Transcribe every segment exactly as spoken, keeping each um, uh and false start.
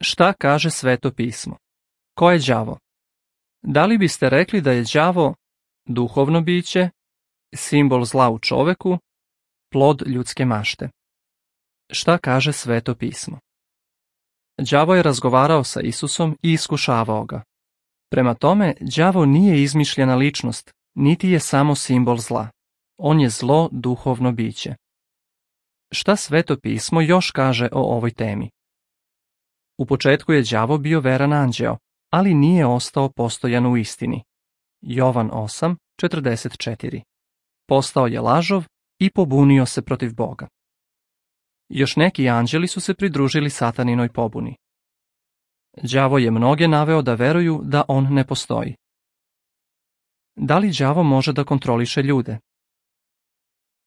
Šta kaže Sveto pismo? Ko je đavo? Da li biste rekli da je đavo duhovno biće, simbol zla u čoveku, plod ljudske mašte? Šta kaže Sveto pismo? Đavo je razgovarao sa Isusom i iskušavao ga. Prema tome, đavo nije izmišljena ličnost, niti je samo simbol zla. On je zlo duhovno biće. Šta Sveto pismo još kaže o ovoj temi? U početku je đavo bio veran anđeo, ali nije ostao postojan u istini. Jovan osam četrdeset četiri. Postao je lažov i pobunio se protiv Boga. Još neki anđeli su se pridružili sataninoj pobuni. Đavo je mnoge naveo da veruju da on ne postoji. Da li đavo može da kontroliše ljude?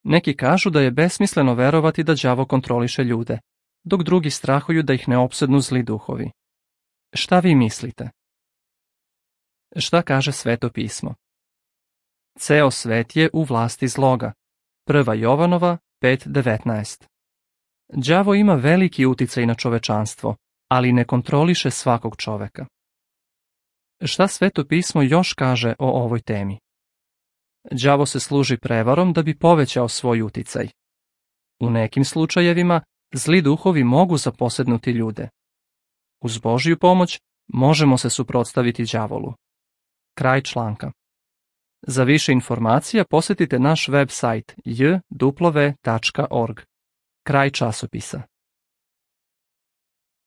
Neki kažu da je besmisleno verovati da đavo kontroliše ljude, dok drugi strahuju da ih ne opsednu zli duhovi. Šta vi mislite? Šta kaže Sveto pismo? Ceo svet je u vlasti zloga. Prva Jovanova pet devetnaest. Đavo ima veliki uticaj na čovečanstvo, ali ne kontroliše svakog čoveka. Šta Sveto pismo još kaže o ovoj temi? Đavo se služi prevarom da bi povećao svoj uticaj. U nekim slučajevima zli duhovi mogu zaposednuti ljude. Uz Božju pomoć možemo se suprotstaviti đavolu. Kraj članka. Za više informacija posjetite naš web sajt j w tačka org. Kraj časopisa.